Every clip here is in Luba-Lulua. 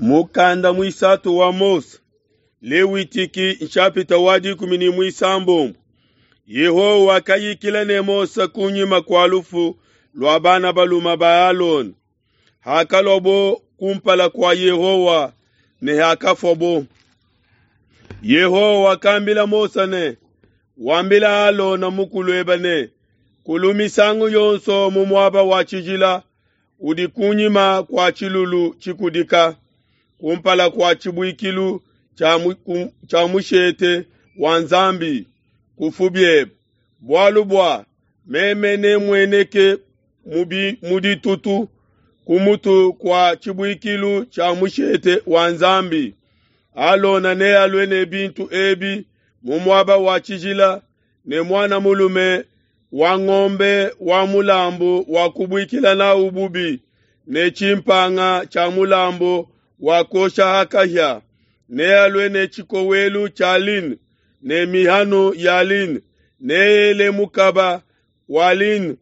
Mukanda muisatu wa Mose, Lewitiki nshapita wa 16. Yehowa wakayikila ne Mose kunyima kua lufu lua bana balume ba Alona, hakaluabo kumpala kua Yehowa ne hakafuabo. Yehowa wakambila Mose ne, Wambila Alona mukuluebe ne, Kulu misangu yonso mu muaba wa tshijila udi kunyima kua tshilulu tshikudika, kumpala kua tshibuikilu tshia mushete wa Nzambi, kufu biebe, bualu bua meme nemmueneke mu ditutu ku mutu kua tshibuikilu tshia mushete wa Nzambi. Alona nealue ne bintu ebi mu muaba wa tshijila ne muana mulume wa ngombe wa mulambu wa kubuikila nawu bubi ne tshimpanga tshia mulambu wa kuosha ha kahia. Nealue ne tshikowelu tshia lin ne mihanu ya lin, neele mukaba wa lin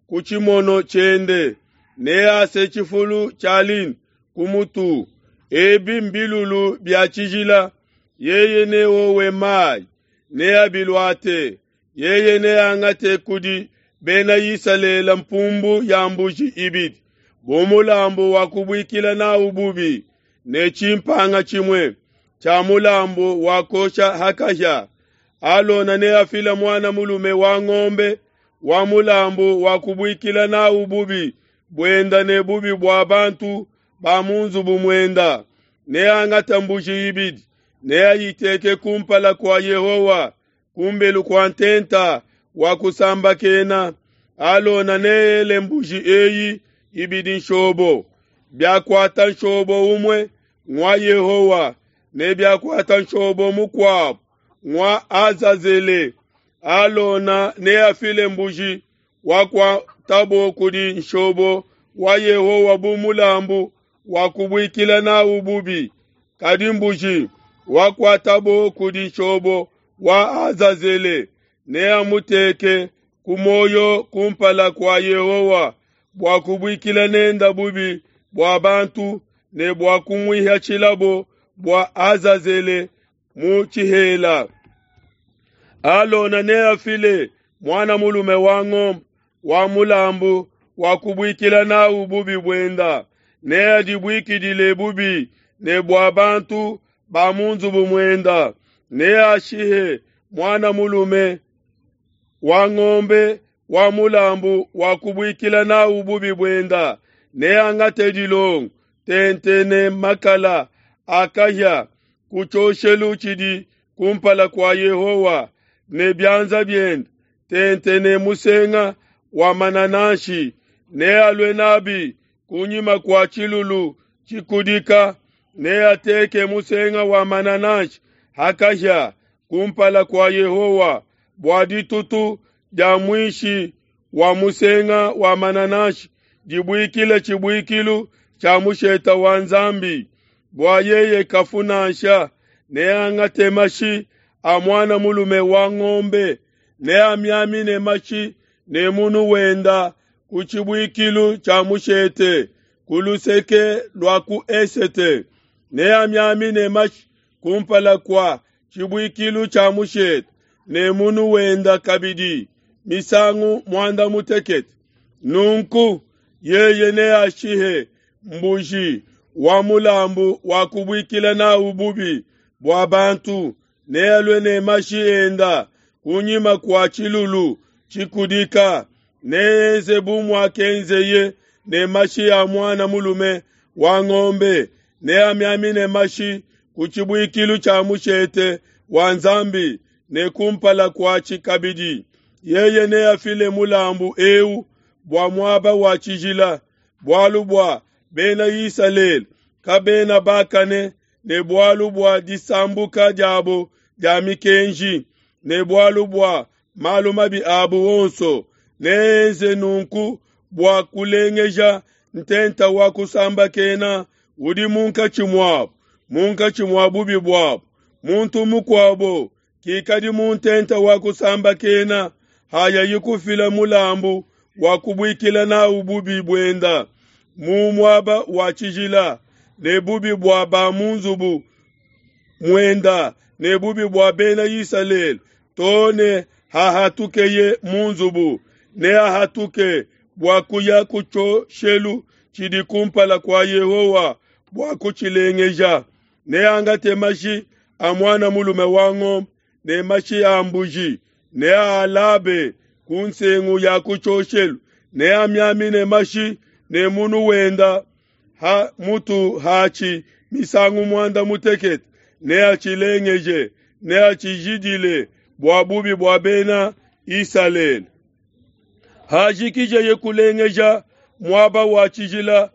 ku tshimono tshiende, nease tshifulu tshia lin ku mutu. Ebi mbilulu bia tshijila, yeye neowe mayi, neabiluate. Yeye neangate kudi bena Isalele mpumbu ya mbuji ibidi bu mulambu wa kubuikila nawu bubi ne tshimpanga tshimue tshia mulambu wa kuosha ha kahia. Alona neafile muana mulume wa ngombe wa mulambu wa kubuikila nawu bubi buenda ne bubi bua bantu ba mu nzubu muenda. Neangate mbuji ibidi, neayiteke kumpala kua Yehowa kumbelu kua ntenta wa kusambakena. Alona neele mbuji eyi ibidi nshobo. Biakuata nshobo umue ngua Yehowa, ne biakuata nshobo mukuabo ngua Azazele. Alona neafile mbuji wakuatabo kudi nshobo wa Yehowa bu mulambu wa kubuikila nawu bubi, kadi mbuji wakuatabo kudi nshobo wa Azazele neamuteke ku muoyo kumpala kua Yehowa bua kubuikila nenda bubi bua bantu ne bua kumuihatshilabo bua Azazele mu tshihela. Alona neafile muana mulume wa ngombe wa mulambu wa kubuikila nawu bubi buenda, neadibuikidile bubi ne bua bantu ba mu nzubu muenda. Neashihe muana mulume wa ngombe wa mulambu wa kubuikila nawu bubi buenda, neangate dilongo tente ne makala a kahia ku tshioshelu tshidi kumpala kua Yehowa ne bianza biende tente ne musenga wa manananshi, nealue nabi kunyima kua tshilulu tshikudika, neateke musenga wa manananshi ha kahia kumpala kua Yehowa bua ditutu dia muishi wa musenga wa manananshi dibuikile tshibuikilu tshia mushete wa Nzambi, bua yeye kafu nansha. Neangate mashi a muana mulume wa ngombe, neamiamine mashi ne munu wenda ku tshibuikilu tshia mushete ku luseke lua ku esete, neamiamine mashi kumpala kua tshibuikilu tshia mushete ne munu wenda kabidi misangu muanda mutekete. Nunku yeye neashihe mbuji wa mulambu wa kubuikila nawu bubi bua bantu, nealue ne mashi enda kunyima kua tshilulu tshikudika, neenze bu muakenzeye ne mashi a muana mulume wa ngombe, neamiamine mashi ku tshibuikilu tshia mushete wa Nzambi ne kumpala kuatshi kabidi. Yeye neafile mulambu eu bua muaba wa tshijila, bualu bua bena Isalele kabena bakane ne bualu bua disambuka diabo dia mikenji ne bualu bua malu mabi abu onso. Neenze nunku bua kulengeja ntenta wa kusambakena udi munkatshi muabo, munkatshi mua bubi buabo. Muntu mukuabo kikadi mu ntenta wa kusambakena hayayi kufila mulambu wa kubuikila nawu bubi buenda mu muaba wa tshijila. ne bubi bua ba mu nzubu muenda ne bubi bua Bena Isalele, too ne hahatukeye mu nzubu, neahatuke bua kuya ku tshioshelu tshidi kumpala kua Yehowa bua kutshilengeja. Neangate mashi a muana mulume wa ngombe ne mashi a mbuji, neaalabe ku nsengu ya ku tshioshelu, neamiamine mashi ne munu wenda ha mutu hatshi misangu muanda mutekete, neatshilengeje, neatshijidile bua bubi bua Bena Isalele. Hajikijeye kulengeja muaba wa tshijila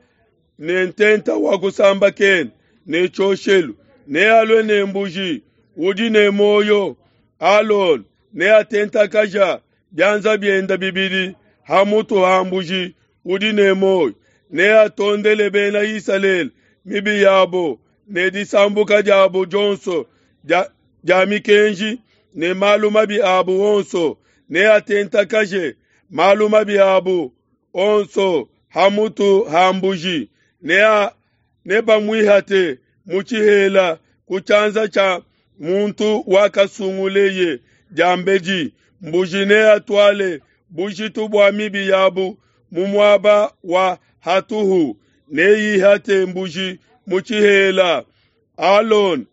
ne ntenta wa kusambakena ne tshioshelu, nealue ne mbuji udi ne muoyo. Alona neatentakaja bianza biende bibidi ha mutu ha mbuji udi ne muoyo, neatondele Bena Isalele mibi yabo ne disambuka diabo dionso dia mikenji ne malu mabi abo onso, neatentakaje malu mabi abo onso ha mutu ha mbuji, nebamuihate mu tshihela ku tshianza tshia muntu wakasunguleye diambedi. Mbuji neatuale bujitu bua mibi yabu mu muaba wa hatuhu, neihate mbuji mu tshihela. Alona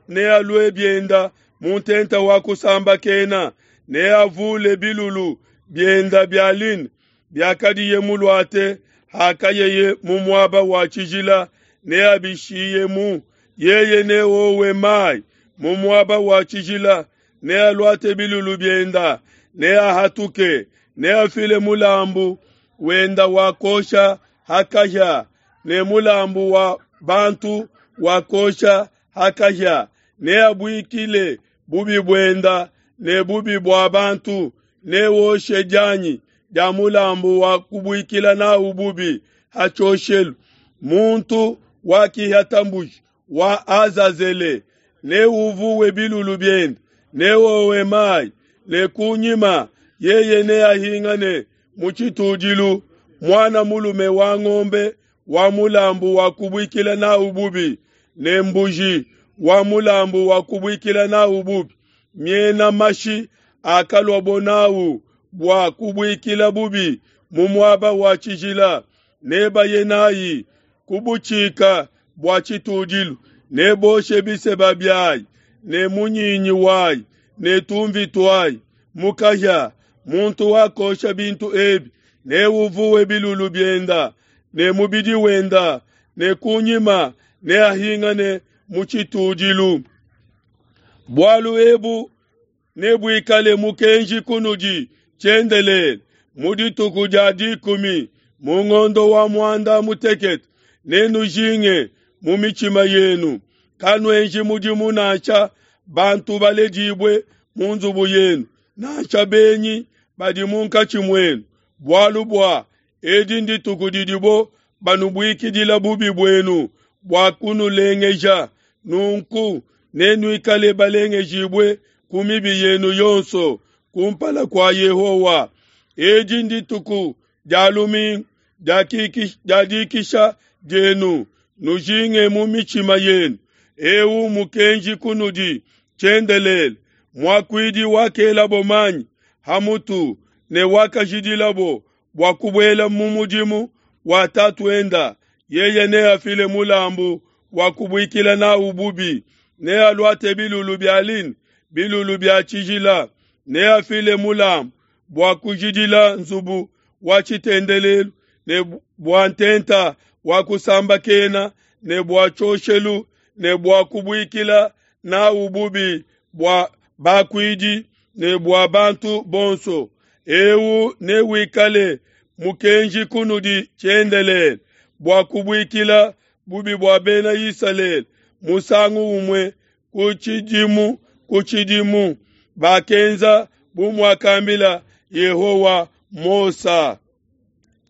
nealue bienda mu ntenta wa kusambakena, neavule bilulu bienda bia lin biakadiye muluate hakayeye mu muaba wa tshijila, neabishiyemu. Yeye neowe mai mu muaba wa tshijila, nealuate bilulu bienda, neahatuke, neafile mulambu wenda wa kosha ha kahia ne mulambu wa bantu wa kosha ha kahia, neabuikile bubi buenda ne bubi bua bantu, newoshe dianyi dia mulambu wa kubuikila nawu bubi ha tshioshelu. Muntu wakihata mbuji wa Azazele neuvuwe bilulu biende, newowe mai, ne kunyima yeye neahingane mu tshitudilu muana mulume wa ngombe wa mulambu wa kubuikila nawu bubi ne mbuji wa mulambu wa kubuikila nawu bubi, miena mashi akaluabo nawu bua kubuikila bubi mu muaba wa tshijila, nebaye nayi ku butshika bua tshitudilu, neboshe biseba biayi ne munyinyi wayi ne tumvi tuayi mu kahia. Muntu wakosha bintu ebi neuvuwe bilulu bienda ne mubidi wenda, ne kunyima neahingane mu tshitudilu. Bualu ebu nebuikale mukenji kunudi tshiendelele. Mu dituku dia 10 mu ngondo wa muanda mutekete nenujinge mu mitshima yenu, kanuenji mudimu nansha bantu baledibue mu nzubu yenu, nansha benyi badi munkatshi muenu, bualu bua edi ndituku didibo banubuikidila bubi buenu bua kunulengeja. Nunku nenuikale balengejibue ku mibi yenu yonso kumpala kua Yehowa. Edi ndituku dia lumingu dia dikisha dienu, nujinge mu mitshima yenu. Eu mukenji kunudi tshiendelele. Muakuidi wakelabo manyi ha mutu ne wakajidilabo bua kubuela mu mudimu wa tatuenda, yeye neafile mulambu wa kubuikila nawu bubi, nealuate bilulu bia lin, bilulu bia tshijila, neafile mulambu bua kujidila nzubu wa tshitendelelu ne bua ntenta wa kusambakena ne bua tshioshelu ne bua kubuikila nawu bubi bua bakuidi ne bua bantu bonso. Eu newikale mukenji kunudi tshiendelele bua kubuikila bubi bua Bena Isalele musangu umue ku tshidimu ku tshidimu. Bakenza bu muakambila Yehowa Mose.